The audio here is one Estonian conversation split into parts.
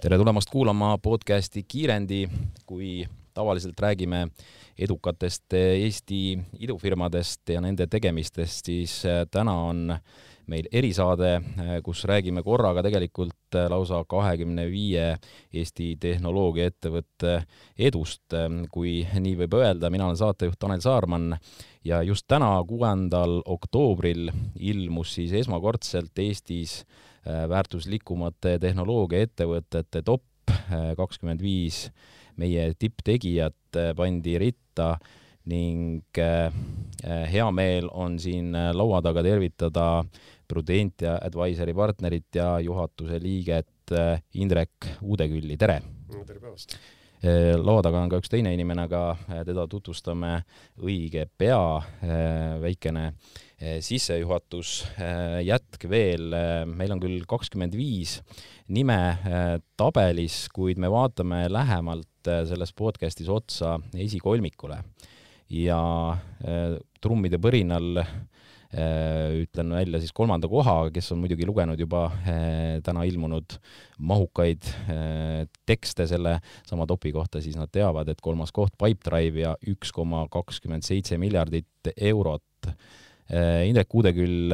Tere tulemast kuulama podcasti Kiirendi, kui tavaliselt räägime edukatest Eesti idufirmadest ja nende tegemistest, siis täna on meil erisaade, kus räägime korraga tegelikult lausa 25 Eesti tehnoloogiaettevõtte edust, kui nii võib öelda. Mina olen saatejuht Tanel Saarman ja just täna 6. oktoobril ilmus siis esmakordselt Eestis väärtuslikumate tehnoloogiaettevõtete top 25 meie tipptegijat pandi ritta ning hea meel on siin laua taga tervitada Prudentia Advisory partnerit ja juhatuse liiget Indrek Uudekülli. Tere! Tere päevast! Laua taga on ka üks teine inimene, aga teda tutvustame õige pea. Väikene sissejuhatus, jätk veel. Meil on küll 25 nime tabelis, kuid me vaatame lähemalt selles podcastis otsa esikolmikule. Ja trummide põrinal ütlen välja siis 3. koha, kes on muidugi lugenud juba täna ilmunud mahukaid tekste selle sama topi kohta, siis nad teavad, et 3. koht Pipedrive ja 1,27 miljardit eurot. Indrek Uudeküll,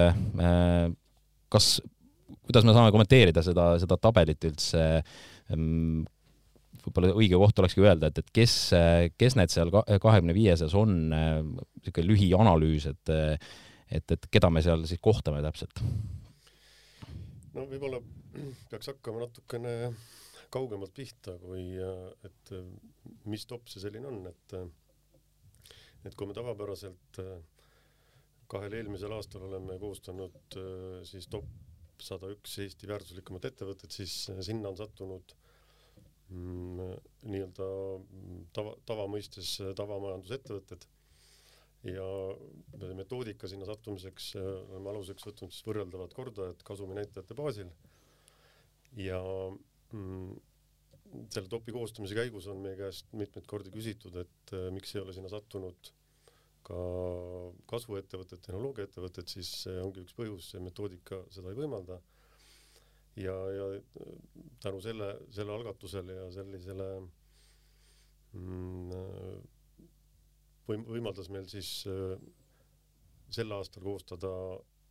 kuidas me saame kommenteerida seda tabelit üldse? Võib-olla õige koht olekski öelda, et kes need seal 25-ses on, selline lühianalüüs, et keda me seal siis kohtame täpselt? No võib-olla peaks hakkama natukene kaugemalt pihta, et mis top see selline on, et kui me tavapäraselt 2 eelmisel aastal oleme koostanud siis top 101 Eesti väärtuslikumat ettevõtet, siis sinna on sattunud nii-öelda tavamõistes tavamajandusettevõtted ja metoodika sinna sattumiseks oleme aluseks võtnud siis võrreldavad kordajad kasuminäitajate baasil ja selle topi koostamise käigus on meie käest mitmeid kordi küsitud, et miks ei ole sinna sattunud ka kasvuettevõtted, tehnoloogiaettevõtted, siis see ongi üks põhjus, see metoodika seda ei võimalda. Ja tänu selle algatusele ja sellisele võimaldas meil siis sel aastal koostada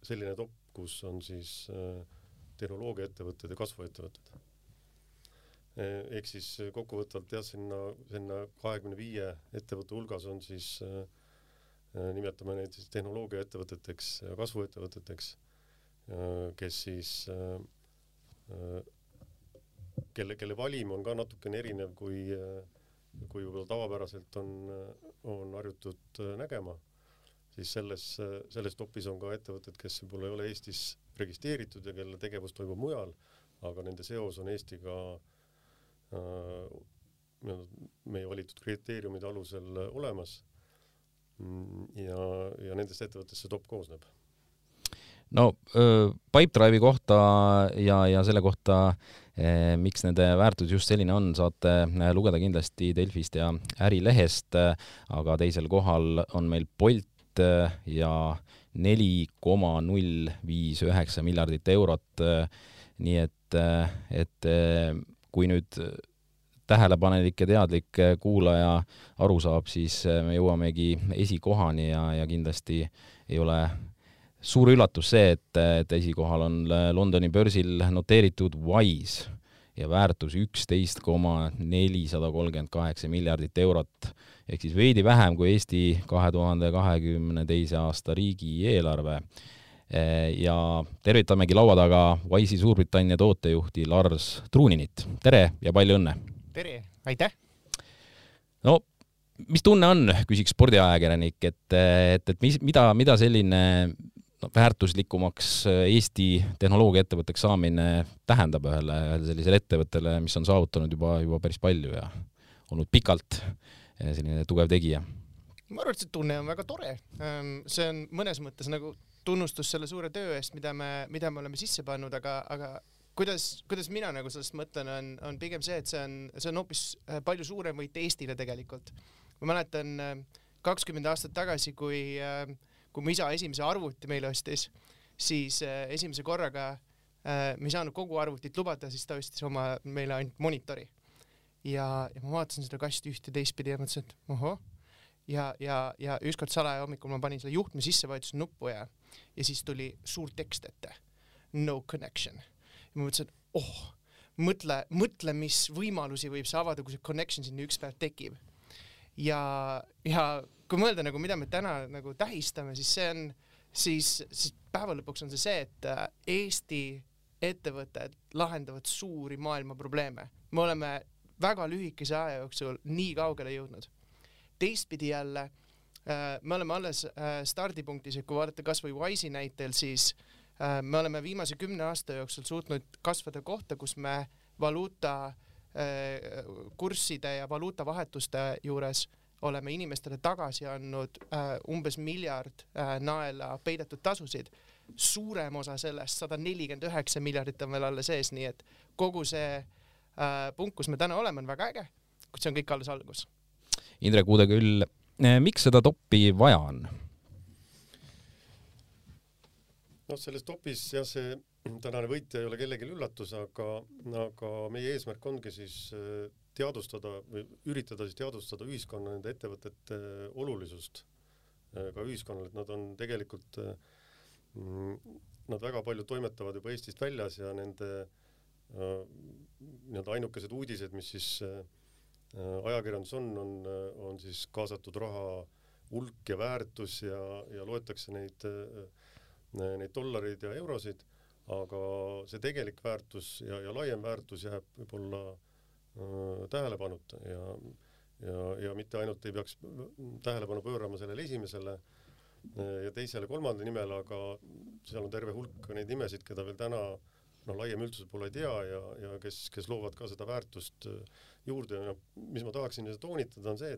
selline top, kus on siis tehnoloogiaettevõtted ja kasvuettevõtted. Ehk siis kokkuvõtvalt sinna 25 ettevõtte hulgas on siis nimetame neid siis tehnoloogiaettevõteteks ja kasvuettevõteteks, kes siis kelle valim on ka natukene erinev, kui võib-olla tavapäraselt on harjutud nägema, siis selles topis on ka ettevõtted, kes võib-olla ei ole Eestis registreeritud ja kelle tegevus toimub mujal, aga nende seos on Eestiga meie valitud kriteeriumide alusel olemas ja nendest ettevõttest see top koosneb. No Pipedrive'i kohta ja selle kohta, miks nende väärtus just selline on, saate lugeda kindlasti Delfist ja Ärilehest, aga teisel kohal on meil Bolt ja 4,059 miljardit eurot. Nii et kui nüüd tähelepanelik ja teadlik kuulaja aru saab, siis me jõuamegi esikohani ja kindlasti ei ole suur üllatus see, et esikohal on Londoni börsil noteeritud Wise ja väärtus 11,438 miljardit eurot, ehk siis veidi vähem kui Eesti 2022. aasta riigieelarve. Ja tervitamegi laua taga Wise'i Suurbritannia tootejuhti Lars Truuninit. Tere ja palju õnne! Tere, aitäh! No, mis tunne on, küsiks spordiajakirjanik, et mida selline väärtuslikumaks Eesti tehnoloogiaettevõtteks saamine tähendab ühele sellisele ettevõttele, mis on saavutanud juba päris palju ja olnud pikalt selline tugev tegija? Ma arvan, et see tunne on väga tore. See on mõnes mõttes nagu tunnustus selle suure töö eest, mida me oleme sisse pannud, aga kuidas mina nagu sellest mõtlen, on pigem see, et see on hoopis palju suurem võit Eestile tegelikult. Ma mäletan 20 aastat tagasi, kui mu isa esimese arvuti meile ostis, siis esimese korraga me ei saanud kogu arvutit lubada, siis ta ostis meile ainult monitori. Ja ma vaatasin seda kasti üht ja teistpidi ja mõtlesin, et ohoh. Ja ükskord salaja hommikul ma panin selle juhtme sisse, vajutasin nuppu ja siis tuli suur tekst ette. No connection. Ja ma mõtlesin, mõtle, mis võimalusi võib see avada, kui see connection sinna üks päev tekib. Ja kui mõelda, nagu, mida me täna nagu tähistame, siis see on, siis päeva lõpuks on see, et Eesti ettevõtted lahendavad suuri maailma probleeme. Me oleme väga lühikese aja jooksul nii kaugele jõudnud. Teistpidi jälle, me oleme alles stardipunktis, et kui vaadata kas või Wise'i näitel, siis me oleme viimase 10 aasta jooksul suutnud kasvada kohta, kus me valuuta kursside ja valuuta vahetuste juures oleme inimestele tagasi andnud umbes 1 miljard naela peidetud tasusid. Suurem osa sellest, 149 miljardit on veel alla sees, nii et kogu see punkt, kus me täna oleme, on väga äge, kuid see on kõik alles algus. Indrek Uudeküll, miks seda toppi vaja on? No selles topis ja see tänane võitja ei ole kellelgi üllatus, aga meie eesmärk ongi siis teadustada või üritada siis teadustada ühiskonna nende ettevõtete olulisust ka ühiskonnale, et nad on tegelikult, nad väga palju toimetavad juba Eestist väljas ja nende ainukesed uudised, mis siis ajakirjandus on siis kaasatud raha hulk ja väärtus ja loetakse neid dollareid ja eurosid, aga see tegelik väärtus ja laiem väärtus jääb võib-olla tähelepanuta ja mitte ainult ei peaks tähelepanu pöörama sellele esimesele ja teisele kolmanda nimele, aga seal on terve hulk neid nimesid, keda veel täna laiem üldsus pole ei tea ja kes loovad ka seda väärtust juurde. Ja mis ma tahaksin toonitada on see,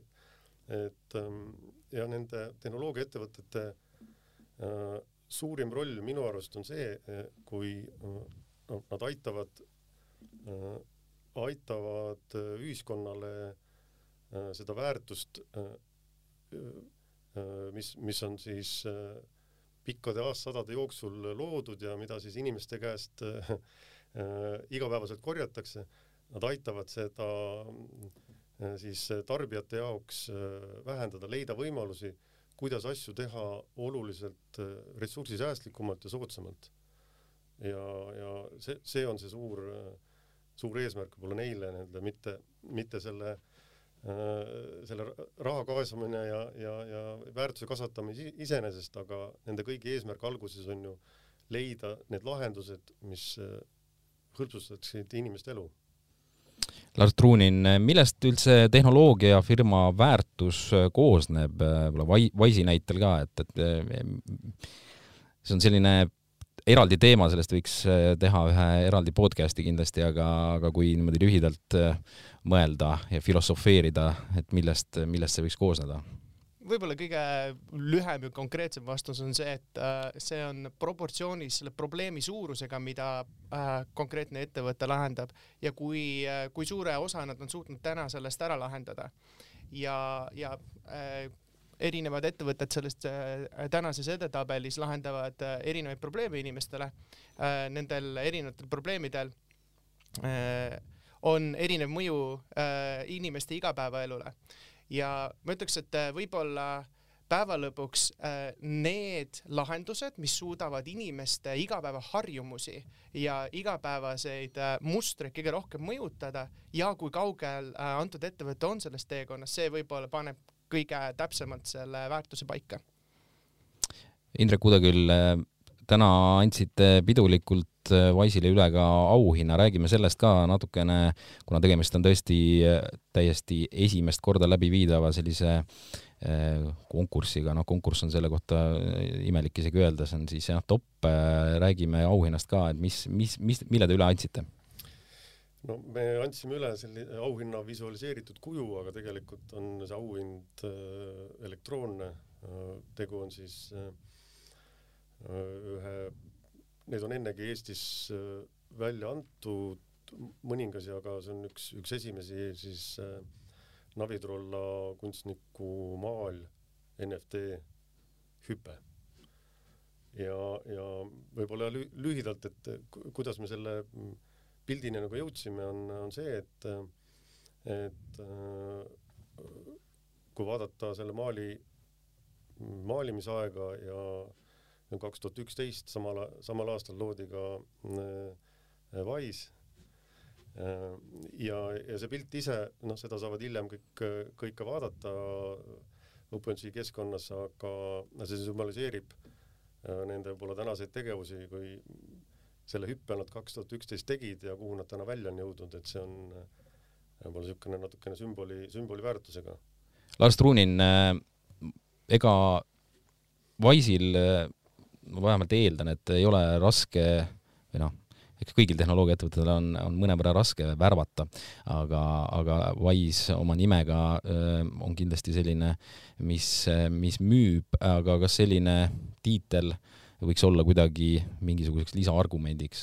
et ja nende tehnoloogiaettevõtete suurim roll minu arust on see, kui nad aitavad ühiskonnale seda väärtust, mis on siis pikkade aastasadade jooksul loodud ja mida siis inimeste käest igapäevaselt korjatakse, nad aitavad seda siis tarbijate jaoks vähendada, leida võimalusi, kuidas asju teha oluliselt ressursisäästlikumalt ja soodsamalt. Ja see on see suur eesmärk võib-olla neile, mitte selle raha kaasamine ja väärtuse kasvatamine iseenesest, aga nende kõigi eesmärk alguses on ju leida need lahendused, mis hõlpsustaksid inimeste elu. Lars Truunin, millest üldse tehnoloogiafirma väärtus koosneb Wise'i näitel ka, et see on selline eraldi teema, sellest võiks teha ühe eraldi podcasti kindlasti, aga kui niimoodi lühidalt mõelda ja filosofeerida, et millest see võiks koosneda? Võib-olla kõige lühem ja konkreetsem vastus on see, et see on proportsioonis selle probleemi suurusega, mida konkreetne ettevõte lahendab ja kui suure osa nad on suutnud täna sellest ära lahendada. Ja erinevad ettevõtted sellest tänases edetabelis lahendavad erinevaid probleeme inimestele. Nendel erinevatel probleemidel on erinev mõju inimeste igapäevaelule. Ja ma ütleks, et võib-olla päeva lõpuks need lahendused, mis suudavad inimeste igapäevaharjumusi ja igapäevaseid mustreid kõige rohkem mõjutada ja kui kaugel antud ettevõte on sellest teekonnas, see võib-olla paneb kõige täpsemalt selle väärtuse paika. Indrek Uudeküll, täna andsite pidulikult Wise'ile üle ka auhinna, räägime sellest ka natukene, kuna tegemist on tõesti täiesti esimest korda läbi viidava sellise konkursiga, konkurss on selle kohta imelik isegi öelda, see on siis top, räägime auhinnast ka, et mille te üle andsite? No me andsime üle selle auhinna visualiseeritud kuju, aga tegelikult on see auhind elektroonne. Tegu on siis need on ennegi Eestis välja antud mõningasi, aga see on üks esimesi siis Navitrolla kunstniku maal NFT hüpe. ja võib-olla lühidalt, et kuidas me selle pildini nagu jõudsime, on see, et kui vaadata selle maalimisaega ja 2011 samal aastal loodi ka Wise ja see pilt ise, seda saavad hiljem kõik ka vaadata OpenSea keskkonnas, aga see sümboliseerib nende võib-olla tänaseid tegevusi, kui selle hüppe nad 2011 tegid ja kuhu nad täna välja on jõudnud, et see on võib-olla niisugune natukene sümboli väärtusega. Lars Truunin, ega Wise'il ma vähemalt eeldan, et ei ole raske või kõigil tehnoloogiaettevõtetel on mõnevõrra raske värvata, aga Wise oma nimega on kindlasti selline, mis müüb, aga kas selline tiitel võiks olla kuidagi mingisuguseks lisaargumendiks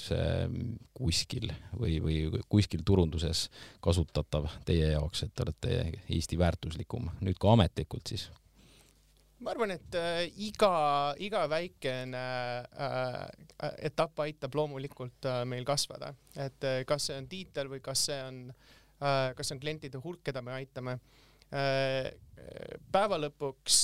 kuskil või kuskil turunduses kasutatav teie jaoks, et te olete Eesti väärtuslikum, nüüd ka ametlikult siis? Ma arvan, et iga väikene etapp aitab loomulikult meil kasvada, et kas see on tiitel või kas see on klientide hulk, keda me aitame. Päeva lõpuks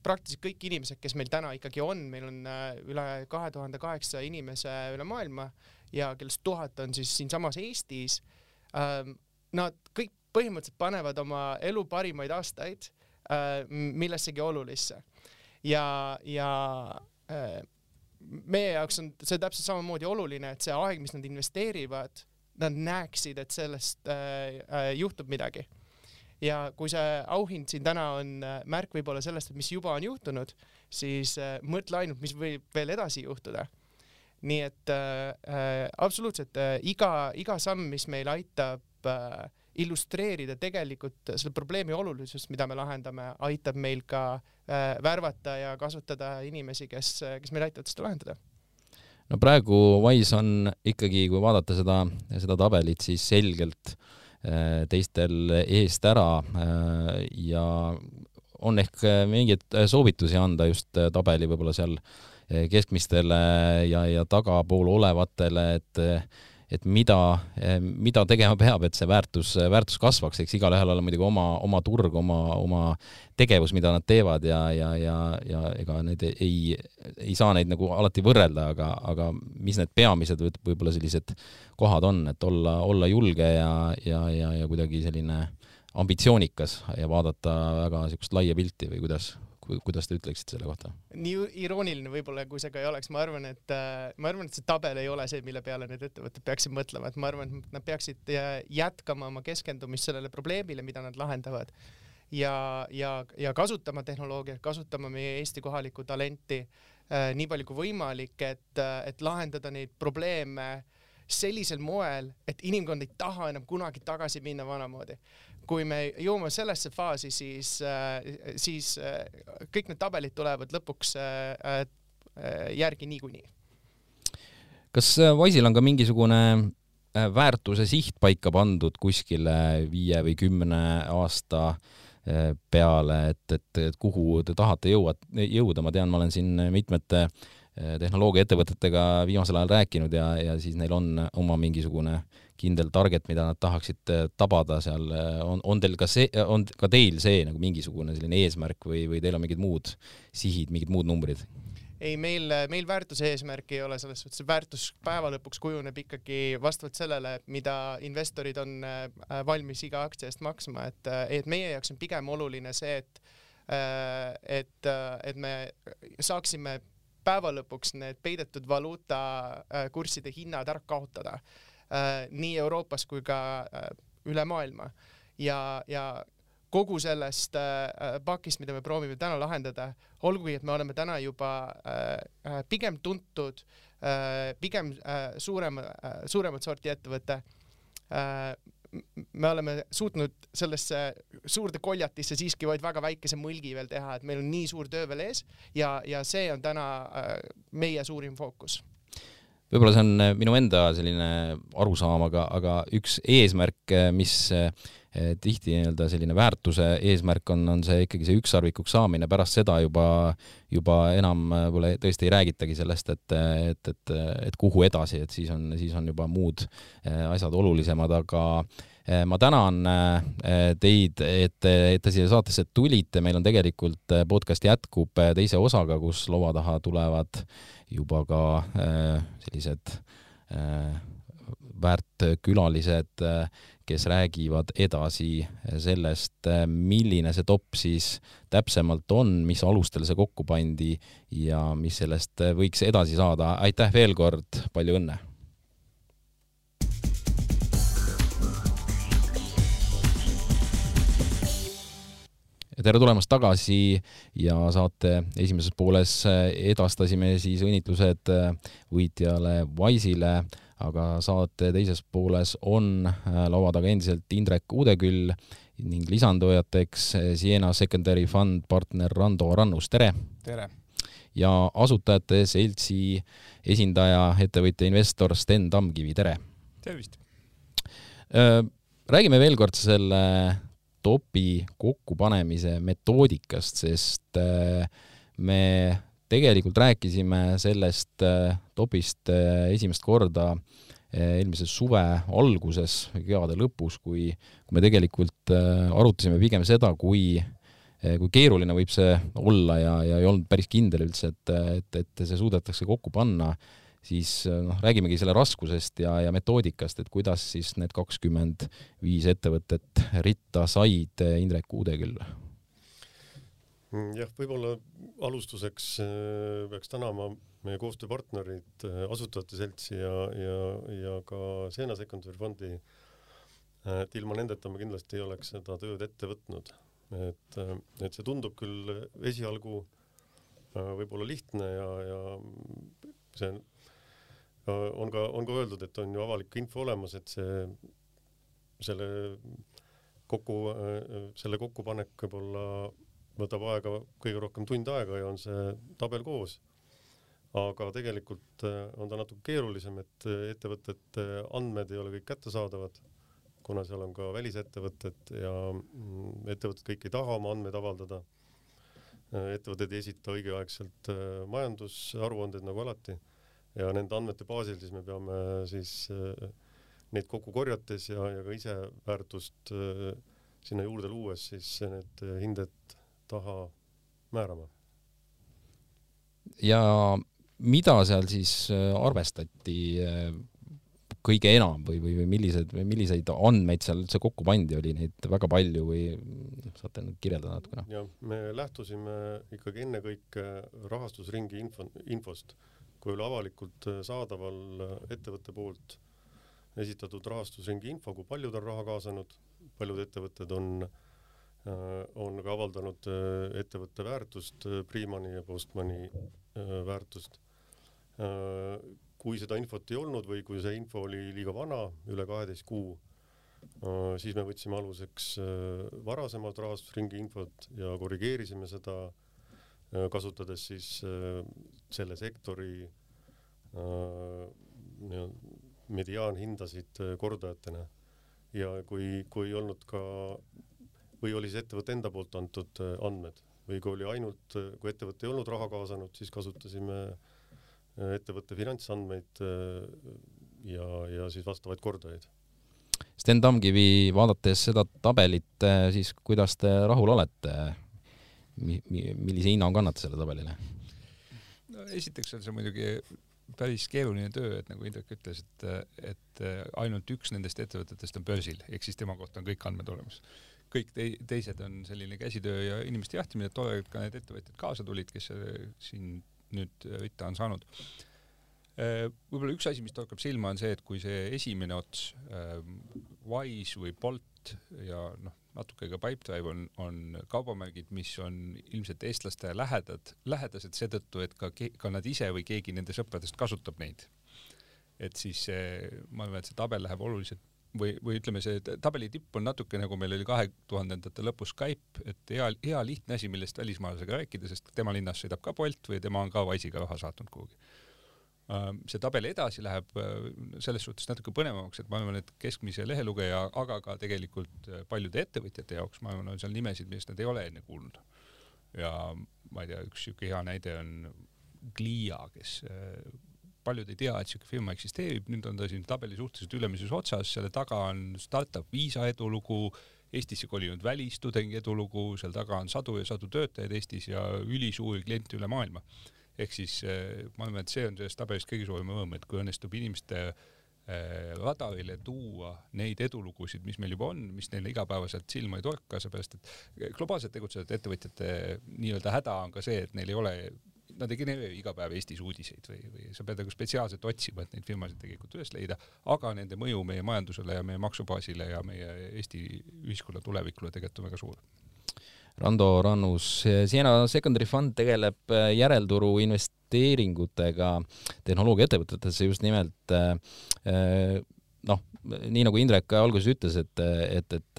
praktiliselt kõik inimesed, kes meil täna ikkagi on, meil on üle 2008 inimese üle maailma ja kellest 1000 on siis siinsamas Eestis, nad kõik põhimõtteliselt panevad oma elu parimaid aastaid millessegi olulisse. Ja meie jaoks on see täpselt samamoodi oluline, et see aeg, mis nad investeerivad, nad näeksid, et sellest juhtub midagi. Ja kui see auhind siin täna on märk võib-olla sellest, et mis juba on juhtunud, siis mõtle ainult, mis võib veel edasi juhtuda. Nii et absoluutselt iga samm, mis meil aitab illustreerida tegelikult selle probleemi olulisust, mida me lahendame, aitab meil ka värvata ja kasutada inimesi, kes meil aitavad seda lahendada. No praegu Wise on ikkagi, kui vaadata seda tabelit, siis selgelt teistel eest ära ja on ehk mingeid soovitusi anda just tabeli võib-olla seal keskmistele ja tagapool olevatele, et mida tegema peab, et see väärtus kasvaks, eks igal ühel ole muidugi oma turg, oma tegevus, mida nad teevad ja ega need ei saa neid nagu alati võrrelda, aga mis need peamised võib-olla sellised kohad on, et olla julge ja kuidagi selline ambitsioonikas ja vaadata väga niisugust laia pilti või kuidas te ütleksid selle kohta? Nii irooniline võib-olla, kui see ka ei oleks. Ma arvan, et see tabel ei ole see, mille peale need ettevõtted peaksid mõtlema. Et ma arvan, et nad peaksid jätkama oma keskendumist sellele probleemile, mida nad lahendavad ja kasutama tehnoloogiat, kasutama meie Eesti kohalikku talenti nii palju kui võimalik, et lahendada neid probleeme sellisel moel, et inimkond ei taha enam kunagi tagasi minna vanamoodi. Kui me jõuame sellesse faasi, siis kõik need tabelid tulevad lõpuks järgi niikuinii. Kas Wise'il on ka mingisugune väärtuse siht paika pandud kuskile 5 või 10 aasta peale, et kuhu te tahate jõuda? Ma tean, ma olen siin mitmete tehnoloogiaettevõtetega viimasel ajal rääkinud ja siis neil on oma mingisugune kindel target, mida nad tahaksid tabada seal. On teil ka teil see nagu mingisugune selline eesmärk või teil on mingid muud sihid, mingid muud numbrid? Ei, meil väärtuse eesmärk ei ole selles suhtes. Väärtus päeva lõpuks kujuneb ikkagi vastavalt sellele, mida investorid on valmis iga aktsia eest maksma. Et meie jaoks on pigem oluline see, et me saaksime päeva lõpuks need peidetud valuuta kursside hinnad ära kaotada nii Euroopas kui ka üle maailma. Ja kogu sellest pakist, mida me proovime täna lahendada, olgugi, et me oleme täna juba pigem tuntud, pigem suuremat sorti ettevõte, me oleme suutnud sellesse suurde koljatisse siiski vaid väga väikese mõlgi veel teha, et meil on nii suur töö veel ees ja see on täna meie suurim fookus. võib-olla see on minu enda selline arusaam, aga üks eesmärk, mis tihti nii-öelda selline väärtuse eesmärk on see ikkagi see ükssarvikuks saamine, pärast seda juba enam võib-olla tõesti ei räägitagi sellest, et kuhu edasi, et siis on juba muud asjad olulisemad, aga ma tänan teid, et te siia saatesse tulite, meil on tegelikult podcast jätkub teise osaga, kus laua taha tulevad juba ka sellised väärt külalised, kes räägivad edasi sellest, milline see top siis täpsemalt on, mis alustel see kokku pandi ja mis sellest võiks edasi saada. Aitäh veel kord, palju õnne! Tere tulemast tagasi ja saate esimeses pooles edastasime siis õnnitlused võitjale Wise'ile, aga saate teises pooles on laua taga endiselt Indrek Uudeküll ning lisandujateks Siena Secondary Fund partner Rando Rannus, tere! Tere! Ja asutajate seltsi esindaja, ettevõtja investor Sten Tamkivi, tere! Tervist! Räägime veel kord selle topi kokkupanemise metoodikast, sest me tegelikult rääkisime sellest topist esimest korda eelmise suve alguses, kevade lõpus, kui me tegelikult arutasime pigem seda, kui keeruline võib see olla ja ei olnud päris kindel üldse, et see suudetakse kokku panna, siis räägimegi selle raskusest ja metoodikast, et kuidas siis need 25 ettevõtet ritta said. Indrek Uudeküll. Jah, võib-olla alustuseks peaks tänama meie koostööpartnerid, asutajate seltsi ja ka Siena Secondary Fundi, et ilma nendeta me kindlasti ei oleks seda tööd ette võtnud. Et see tundub küll esialgu võib-olla lihtne ja see on ka öeldud, et on ju avalik info olemas, et selle kokkupanek võib-olla võtab aega kõige rohkem tund aega ja on see tabel koos. Aga tegelikult on ta natuke keerulisem, et ettevõtete andmed ei ole kõik kättesaadavad, kuna seal on ka välisettevõtted ja ettevõtted kõik ei taha oma andmeid avaldada. Ettevõtted ei esita õigeaegselt majandusaruanded nagu alati. Ja nende andmete baasil siis me peame siis neid kokku korjates ja ka ise väärtust sinna juurde luues siis need hinded taha määrama. Ja mida seal siis arvestati kõige enam või milliseid andmeid seal üldse kokku pandi, oli neid väga palju või saate kirjeldada natukene? Ja me lähtusime ikkagi ennekõike rahastusringi infost, kui oli avalikult saadaval ettevõtte poolt esitatud rahastusringi info, kui palju ta on raha kaasanud, paljud ettevõtted on ka avaldanud ettevõtte väärtust, Priimani ja Postmani väärtust. Kui seda infot ei olnud või kui see info oli liiga vana, üle 12 kuu, siis me võtsime aluseks varasemalt rahastusringi infot ja korrigeerisime seda, kasutades siis selle sektori mediaanhindasid kordajatena. Ja kui olnud ka, või oli see ettevõtte enda poolt antud andmed, või kui oli ainult, kui ettevõtte ei olnud raha kaasanud, siis kasutasime ettevõtte finantsandmeid ja siis vastavaid kordajaid. Sten Tamkivi, vaadates seda tabelit, siis kuidas te rahul olete? Millise hinnangu annate selle tabelile? No, esiteks on see muidugi päris keeruline töö, et nagu Indrek ütles, et ainult üks nendest ettevõtetest on börsil, ehk siis tema kohta on kõik andmed olemas. Kõik teised on selline käsitöö ja inimeste jahtimine, et tore, et ka need ettevõtjad kaasa tulid, kes siin nüüd ritta on saanud. Võib-olla üks asi, mis torkab silma, on see, et kui see esimene ots, Wise või Bolt ja natuke ka Pipedrive on kaubamärgid, mis on ilmselt eestlaste lähedased seetõttu, et ka nad ise või keegi nende sõpradest kasutab neid. Et siis ma arvan, et see tabel läheb oluliselt või ütleme, see tabeli tipp on natuke nagu meil oli 2000-ndate lõpus Skype, et hea lihtne asi, millest välismaalasega rääkida, sest tema linnas sõidab ka Bolt või tema on ka Wise'iga raha saatnud kuhugi. See tabel edasi läheb selles suhtes natuke põnevamaks, et ma arvan, et keskmise lehelugeja, aga ka tegelikult paljude ettevõtjate jaoks, ma arvan, on seal nimesid, millest nad ei ole enne kuulnud. Ja ma ei tea, üks siuke hea näide on Glia, kes paljud ei tea, et siuke firma eksisteerib, nüüd on ta siin tabeli suhteliselt ülemises otsas, selle taga on startup Visa edulugu, Eestisse kolinud välistudengi edulugu, seal taga on sadu ja sadu töötajaid Eestis ja ülisuuri kliente üle maailma. Ehk siis ma arvan, et see on sellest tabelist kõige suurem õõm, et kui õnnestub inimeste radarile tuua neid edulugusid, mis meil juba on, mis neile igapäevaselt silma ei torka, seepärast, et globaalselt tegutsejad ettevõtjate nii-öelda häda on ka see, et neil ei ole, nad ei genereeri iga päev Eestis uudiseid või sa pead nagu spetsiaalselt otsima, et neid firmasid tegelikult üles leida, aga nende mõju meie majandusele ja meie maksubaasile ja meie Eesti ühiskonna tulevikule tegelikult on väga suur. Rando Rannus, Siena Secondary Fund tegeleb järelturu investeeringutega tehnoloogiaettevõtetesse just nimelt nii nagu Indrek alguses ütles, et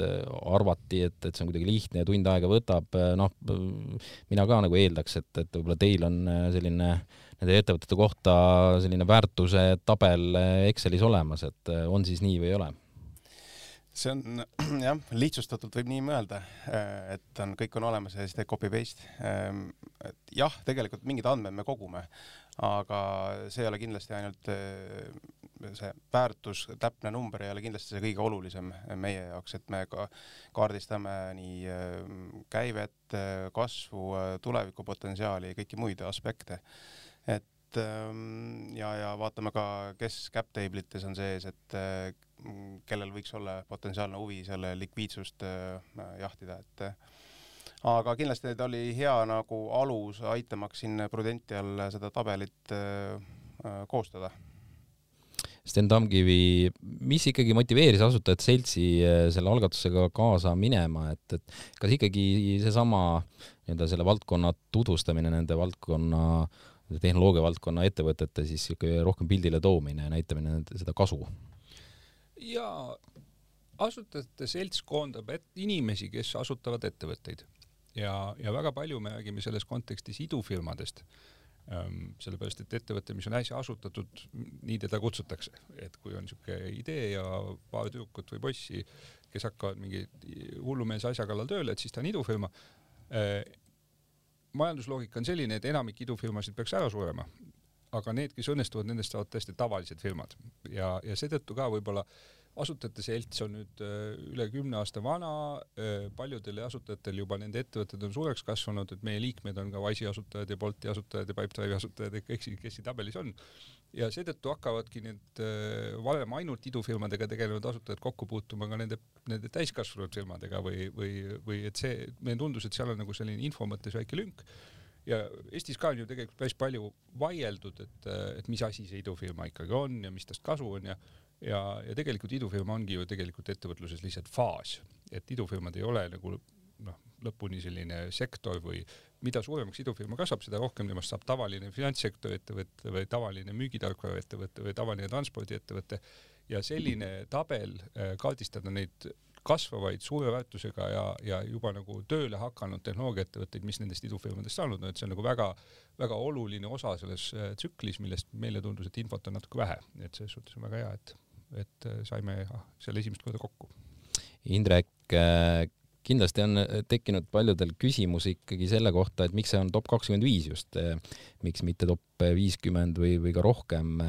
arvati, et see on kuidagi lihtne ja tund aega võtab, mina ka nagu eeldaks, et võib-olla teil on selline nende ettevõtete kohta selline väärtuse tabel Excelis olemas, et on siis nii või ei ole? See on, jah, lihtsustatult võib nii mõelda, et kõik on olemas ja siis teed copy-paste. Jah, tegelikult mingid andmed me kogume, aga see ei ole kindlasti ainult see väärtus, täpne number ei ole kindlasti see kõige olulisem meie jaoks, et me kaardistame nii käivet, kasvu, tulevikupotentsiaali ja kõiki muid aspekte. Ja vaatame ka, kes cap tablites on sees, et kellel võiks olla potentsiaalne huvi selle likviidsust jahtida. Aga kindlasti ta oli hea nagu alus aitamaks siin Prudential seda tabelit koostada. Sten Tamkivi, mis ikkagi motiveeris asutajat seltsi selle algatusega kaasa minema, et kas ikkagi seesama selle valdkonna tutvustamine, nende valdkonna tehnoloogia valdkonna ettevõtete siis rohkem pildile toomine ja näitamine seda kasu? Ja asutajate selts koondab inimesi, kes asutavad ettevõtteid ja väga palju me räägime selles kontekstis idufirmadest, sellepärast, et ettevõte, mis on äsja asutatud, nii teda kutsutakse, et kui on siuke idee ja paar tüükut või bossi, kes hakkavad mingi hullumeelse asja kallal tööle, et siis ta on idufirma. Majandusloogika on selline, et enamik idufirmasid peaks ära surema, aga need, kes õnnestuvad, nendest saavad tõesti tavalised firmad ja seetõttu ka võib-olla asutajate selts on nüüd üle 10 aasta vana, paljudel asutajatel juba nende ettevõtted on suureks kasvanud, et meie liikmed on ka Wise'i asutajad ja Bolti asutajad ja Pipedrive'i asutajad ja kõik, kes siin tabelis on. Ja seetõttu hakkavadki need varem ainult idufirmadega tegelenud asutajad kokku puutuma ka nende täiskasvanud firmadega või et see, meil tundus, et seal on nagu selline info mõttes väike lünk. Ja Eestis ka on ju tegelikult päris palju vaieldud, et mis asi see idufirma ikkagi on ja mis tast kasu on ja tegelikult idufirma ongi ju tegelikult ettevõtluses lihtsalt faas, et idufirmad ei ole nagu lõpuni selline sektor või mida suuremaks idufirma kasvab, seda rohkem temast saab tavaline finantssektori ettevõte või tavaline müügitarkvara ettevõte või tavaline transpordiettevõte ja selline tabel kaardistada neid kasvavaid suure väärtusega ja juba nagu tööle hakanud tehnoloogiaettevõtteid, mis nendest idufirmadest saanud on, et see on nagu väga, väga oluline osa selles tsüklis, millest meile tundus, et infot on natuke vähe, et selles suhtes on väga hea, et saime selle esimest korda kokku. Indrek, kindlasti on tekkinud paljudel küsimus ikkagi selle kohta, et miks see on top 25 just, miks mitte top 50 või ka rohkem.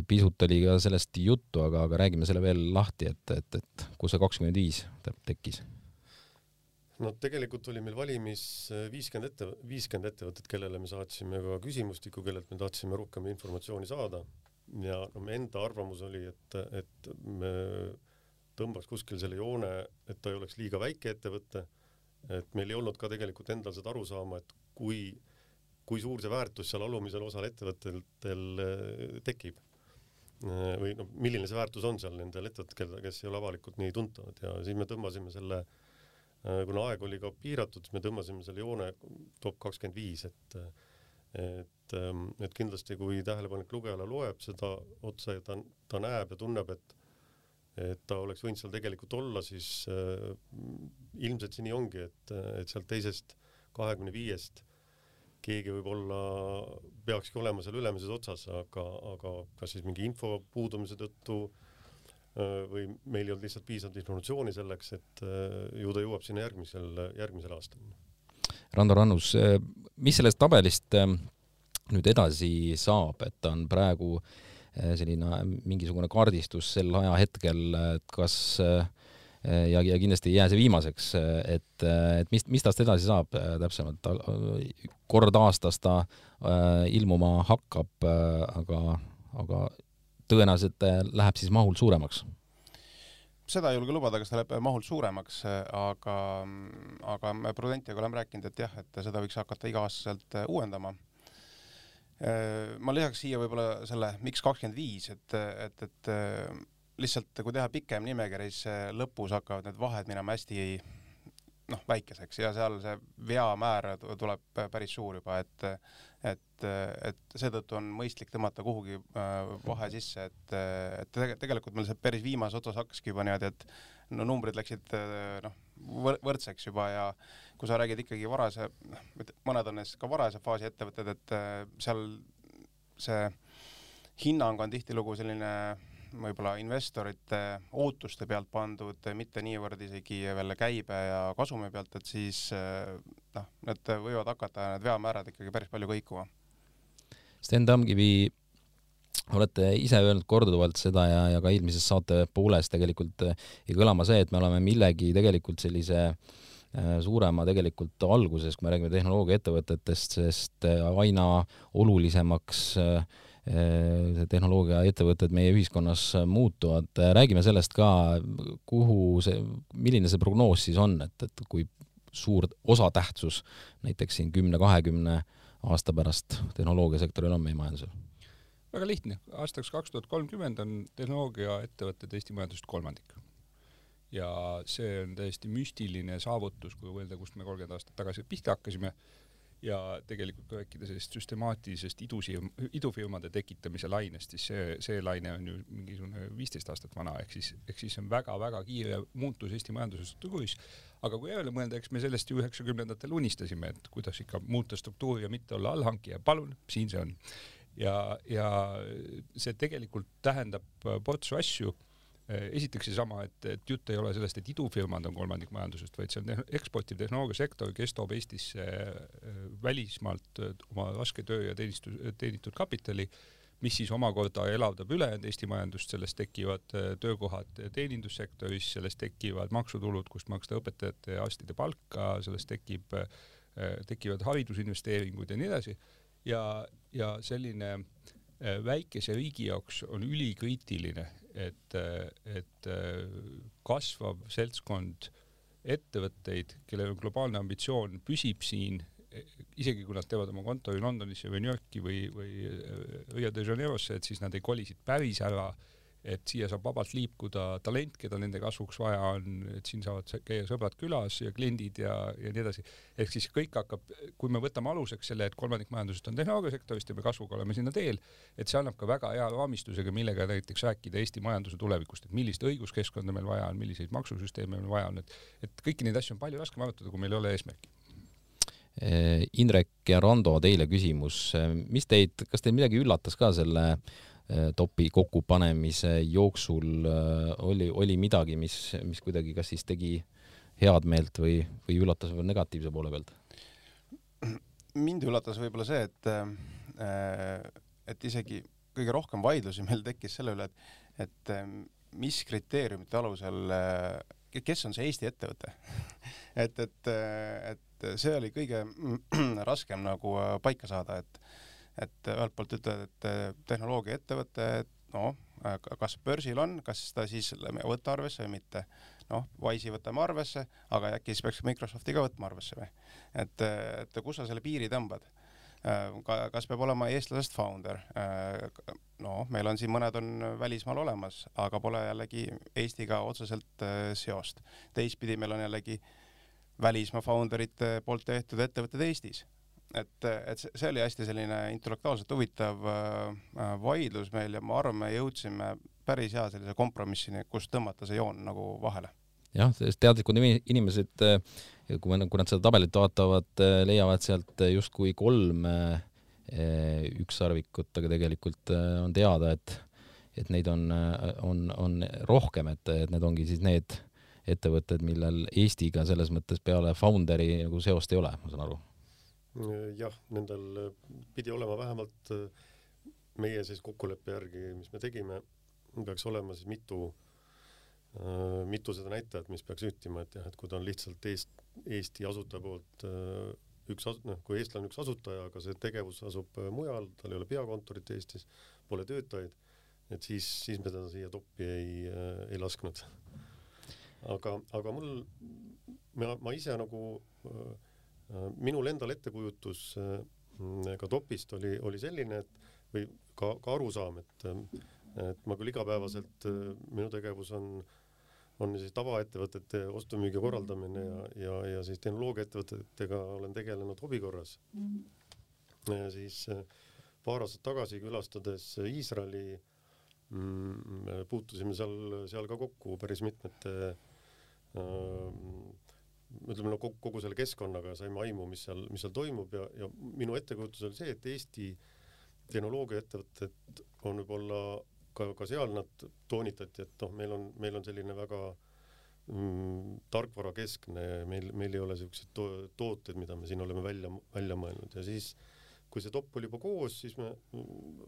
Pisut oli ka sellest juttu, aga räägime selle veel lahti, et kus see 25 tekkis? No tegelikult oli meil valimis 50 ettevõtet, kellele me saatsime ka küsimustiku, kellelt me tahtsime rohkem informatsiooni saada ja me enda arvamus oli, et me tõmbaks kuskil selle joone, et ta ei oleks liiga väike ettevõte, et meil ei olnud ka tegelikult endal seda aru saama, et kui suur see väärtus seal alumisel osal ettevõttel tekib või milline see väärtus on seal nendel ettevõttel, kes ei ole avalikult nii tuntavad ja siis me tõmbasime selle, kuna aeg oli ka piiratud, siis me tõmbasime selle joone top 25, et kindlasti kui tähelepanek lugejale loeb seda otsa ja ta näeb ja tunneb, et ta oleks võinud seal tegelikult olla, siis ilmselt see nii ongi, et sealt teisest 25-st keegi võib-olla peakski olema seal ülemises otsas, aga kas siis mingi info puudumise tõttu või meil ei olnud lihtsalt piisavalt informatsiooni selleks, et ju ta jõuab sinna järgmisel aastal. Rando Rannus, mis sellest tabelist nüüd edasi saab, et on praegu selline mingisugune kaardistus sel ajahetkel, et kas ja kindlasti ei jää see viimaseks, et mis tast edasi saab täpsemalt? Kord aastas ta ilmuma hakkab, aga tõenäoliselt läheb siis mahult suuremaks. Seda ei julge lubada, kas ta läheb mahult suuremaks, aga me Prudentiaga oleme rääkinud, et jah, et seda võiks hakata iga-aastaselt uuendama. Ma lisaks siia võib-olla selle miks 25, et lihtsalt kui teha pikem nimekiri, siis lõpus hakkavad need vahed minema hästi väikeseks ja seal see veamäär tuleb päris suur juba, et seetõttu on mõistlik tõmmata kuhugi vahe sisse, et tegelikult meil see päris viimase otsas hakkaski juba niimoodi, et numbrid läksid võrdseks juba ja kui sa räägid ikkagi mõned on ka varase faasi ettevõtted, et seal see hinnang on tihtilugu selline võib-olla investorite ootuste pealt pandud, mitte niivõrd isegi veel käibe ja kasumi pealt, et siis need võivad hakata need veamäärad ikkagi päris palju kõikuma. Sten Tamkivi, olete ise öelnud korduvalt seda ja ka eelmises saate pooles tegelikult ei kõlama see, et me oleme millegi tegelikult sellise suurema tegelikult alguses, kui me räägime tehnoloogiaettevõtetest, sest aina olulisemaks tehnoloogiaettevõtted meie ühiskonnas muutuvad. Räägime sellest ka, milline see prognoos siis on, et kui suur osatähtsus näiteks siin 10-20 aasta pärast tehnoloogiasektoril on meie majandusel? Väga lihtne. Aastaks 2030 on tehnoloogiaettevõtted Eesti majandusest 1/3. Ja see on täiesti müstiline saavutus, kui võelda, kust me 30 aastat tagasi pihta hakkasime. Ja tegelikult kui rääkida sellist süstemaatilisest idufirmade tekitamise lainest, siis see laine on ju mingisugune 15 aastat vana, ehk siis on väga-väga kiire muutus Eesti majanduse struktuuris. Aga kui jälle mõelda, eks me sellest ju 90-ndatel unistasime, et kuidas ikka muuta struktuuri ja mitte olla allhankija. Palun, siin see on. Ja see tegelikult tähendab portsu asju. Esiteks seesama, et jutt ei ole sellest, et idufirmad on 1/3 majandusest, vaid see on eksportiv tehnoloogiasektor, kes toob Eestisse välismaalt oma raske töö ja teenitud kapitali, mis siis omakorda elavdab ülejäänud Eesti majandust, sellest tekivad töökohad teenindussektoris, sellest tekivad maksutulud, kust maksta õpetajate ja arstide palka, sellest tekivad haridusinvesteeringud ja nii edasi. Ja selline väikese riigi jaoks on ülikriitiline, et kasvav seltskond ettevõtteid, kellel on globaalne ambitsioon, püsib siin, isegi kui nad teevad oma kontori Londonisse või New Yorki või Rio de Janeirosse, et siis nad ei kolisid päris ära, et siia saab vabalt liikuda talent, keda nende kasvuks vaja on, et siin saavad käia sõbrad külas ja kliendid ja nii edasi. Ehk siis kõik hakkab, kui me võtame aluseks selle, et 1/3 majandusest on tehnoloogiasektorist ja me kasvuga oleme sinna teel, et see annab ka väga hea raamistusega, millega näiteks rääkida Eesti majanduse tulevikust, et millist õiguskeskkonda meil vaja on, milliseid maksusüsteeme meil vaja on, et kõiki neid asju on palju raskem arutada, kui meil ei ole eesmärki. Indrek ja Rando, teile küsimus. Kas teid midagi üllatas ka selle topi kokkupanemise jooksul? Oli midagi, mis kuidagi kas siis tegi head meelt või üllatas või negatiivse poole pealt? Mind üllatas võib-olla see, et isegi kõige rohkem vaidlusi meil tekkis selle üle, et mis kriteeriumite alusel, kes on see Eesti ettevõte? et see oli kõige raskem nagu paika saada, et ühelt poolt ütled, et tehnoloogiaettevõte, kas börsil on, kas ta siis võtta arvesse või mitte. Wise'i võtame arvesse, aga äkki siis peaks Microsofti ka võtma arvesse või? Et kus sa selle piiri tõmbad? Kas peab olema eestlasest founder? Meil on siin mõned on välismaal olemas, aga pole jällegi Eestiga otseselt seost. Teistpidi meil on jällegi välismaa founderite poolt tehtud ettevõtted Eestis. Et see oli hästi selline intellektuaalselt huvitav vaidlus meil ja ma arvan, me jõudsime päris hea sellise kompromissini, kus tõmmata see joon nagu vahele. jah, teadlikud inimesed, kui nad seda tabelit vaatavad, leiavad sealt justkui 3 ükssarvikut, aga tegelikult on teada, et neid on rohkem, et need ongi siis need ettevõtted, millel Eestiga selles mõttes peale founderi nagu seost ei ole, ma saan aru. Jah, nendel pidi olema vähemalt meie siis kokkuleppe järgi, mis me tegime, peaks olema siis mitu seda näitajat, mis peaks ühtima, et jah, et kui ta on lihtsalt Eesti asutaja poolt kui eestlane üks asutaja, aga see tegevus asub mujal, tal ei ole peakontorit Eestis, pole töötajaid, et siis me teda siia toppi ei lasknud. Aga ma ise nagu minul endal ettekujutus ka topist oli selline, või ka arusaam, et ma küll igapäevaselt minu tegevus on siis tavaettevõtete ostumüügi korraldamine ja siis tehnoloogiaettevõtetega olen tegelenud hobikorras. Siis paar aastat tagasi külastades Iisraeli puutusime seal ka kokku päris mitmete ütleme kogu selle keskkonnaga, saime aimu, mis seal toimub ja minu ettekujutus oli see, et Eesti tehnoloogiaettevõtted on võib-olla ka seal nad toonitati, et meil on selline väga tarkvarakeskne, meil ei ole sellised tooted, mida me siin oleme välja mõelnud ja siis, kui see top oli juba koos, siis me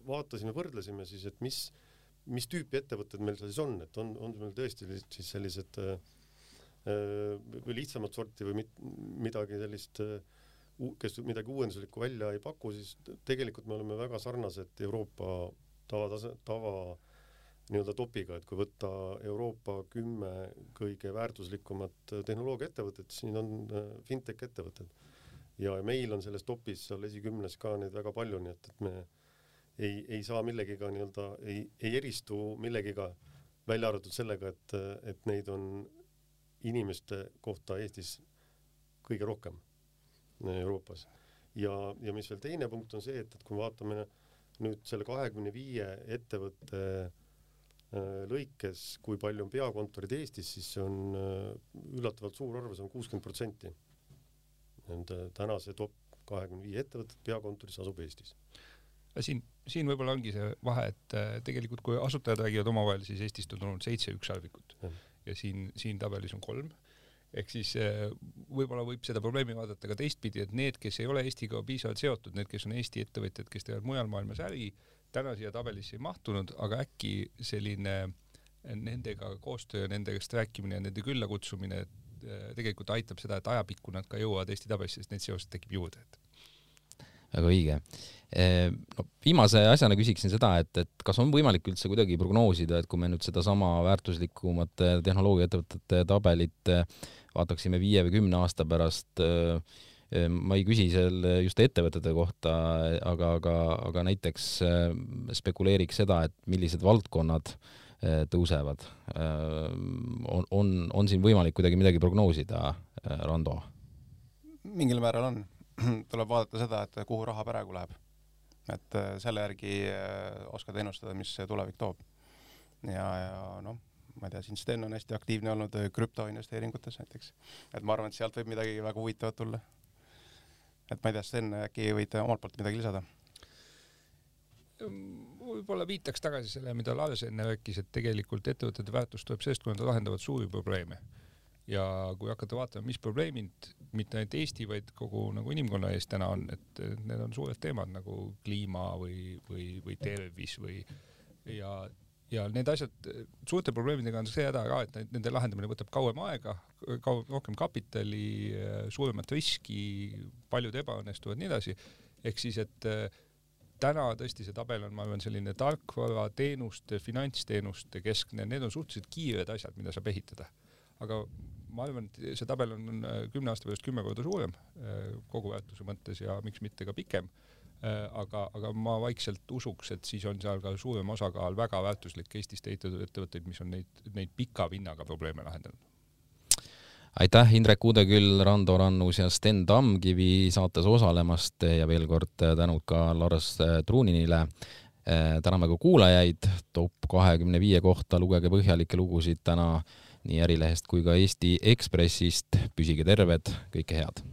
vaatasime, võrdlesime siis, et mis tüüpi ettevõtted meil siis on, et on meil tõesti siis sellised või lihtsamat sorti või midagi sellist, kes midagi uuenduslikku välja ei paku, siis tegelikult me oleme väga sarnased Euroopa tava nii-öelda topiga, et kui võtta Euroopa 10 kõige väärtuslikumat tehnoloogiaettevõtet, siis siin on fintech ettevõtted. Ja meil on selles topis seal esikümnes ka neid väga palju, nii et me ei saa millegiga nii-öelda, ei eristu millegiga välja arvatud sellega, et neid on inimeste kohta Eestis kõige rohkem Euroopas. Ja mis veel teine punkt on see, et kui vaatame nüüd selle 25 ettevõtte lõikes, kui palju on peakontorid Eestis, siis see on üllatavalt suur arv, see on 60%. Tänase top 25 ettevõtted peakontoris asub Eestis. Siin võib-olla ongi see vahe, et tegelikult kui asutajad räägivad omavahel, siis Eestist on tulnud 7 ükssarvikut ja siin tabelis on 3. Ehk siis võib-olla võib seda probleemi vaadata ka teistpidi, et need, kes ei ole Eestiga piisavalt seotud, need, kes on Eesti ettevõtjad, kes teevad mujal maailmas äri, täna siia tabelisse ei mahtunud, aga äkki selline nendega koostöö, nendest rääkimine ja nende külla kutsumine tegelikult aitab seda, et ajapikku nad ka jõuavad Eesti tabelisse, sest need seosed tekib juurde. Väga õige. Viimase asjana küsiksin seda, et kas on võimalik üldse kuidagi prognoosida, et kui me nüüd seda sama väärtuslikumat tehnoloogiaettevõtete tabelit vaataksime 5 või 10 aasta pärast, ma ei küsi seal just ettevõtete kohta, aga näiteks spekuleeriks seda, et millised valdkonnad tõusevad. On siin võimalik kuidagi midagi prognoosida, Rando? Mingil määral on. Tuleb vaadata seda, et kuhu raha praegu läheb. Et selle järgi oskad ennustada, mis tulevik toob. Ja ma ei tea, siin Sten on hästi aktiivne olnud krüptoinvesteeringutes näiteks. Et ma arvan, et sealt võib midagi väga huvitavat tulla. Et ma ei tea, Sten, äkki võite omalt poolt midagi lisada? Võib-olla viitaks tagasi selle, mida Lars enne rääkis, et tegelikult ettevõtete väärtus tuleb sellest, kui nad lahendavad suuri probleeme. Ja kui hakata vaatama, mis probleemid mitte ainult Eesti, vaid kogu nagu inimkonna ees täna on, et need on suured teemad nagu kliima või tervis ja need asjad, suurte probleemidega on see häda ka, et nende lahendamine võtab kauem aega, rohkem kapitali, suuremat riski, paljud ebaõnnestuvad nii edasi. Ehk siis, et täna tõesti see tabel on, ma arvan, selline tarkvara, teenuste, finantsteenuste keskne, need on suhteliselt kiired asjad, mida saab ehitada. Aga ma arvan, et see tabel on 10 aasta pärast 10 korda suurem kogu väärtuse mõttes ja miks mitte ka pikem. Aga ma vaikselt usuks, et siis on seal ka suurem osakaal väga väärtuslik Eestist ehitatud ettevõtteid, mis on neid pika vinnaga probleeme lahendanud. Aitäh Indrek Udeküll, Rando Rannus ja Sten Tamkivi saates osalemast ja veel kord tänud ka Lars Truuninile. Täname ka kuulajaid top 25 kohta, lugege põhjalikke lugusid täna nii Ärilehest kui ka Eesti Ekspressist. Püsige terved, kõike head!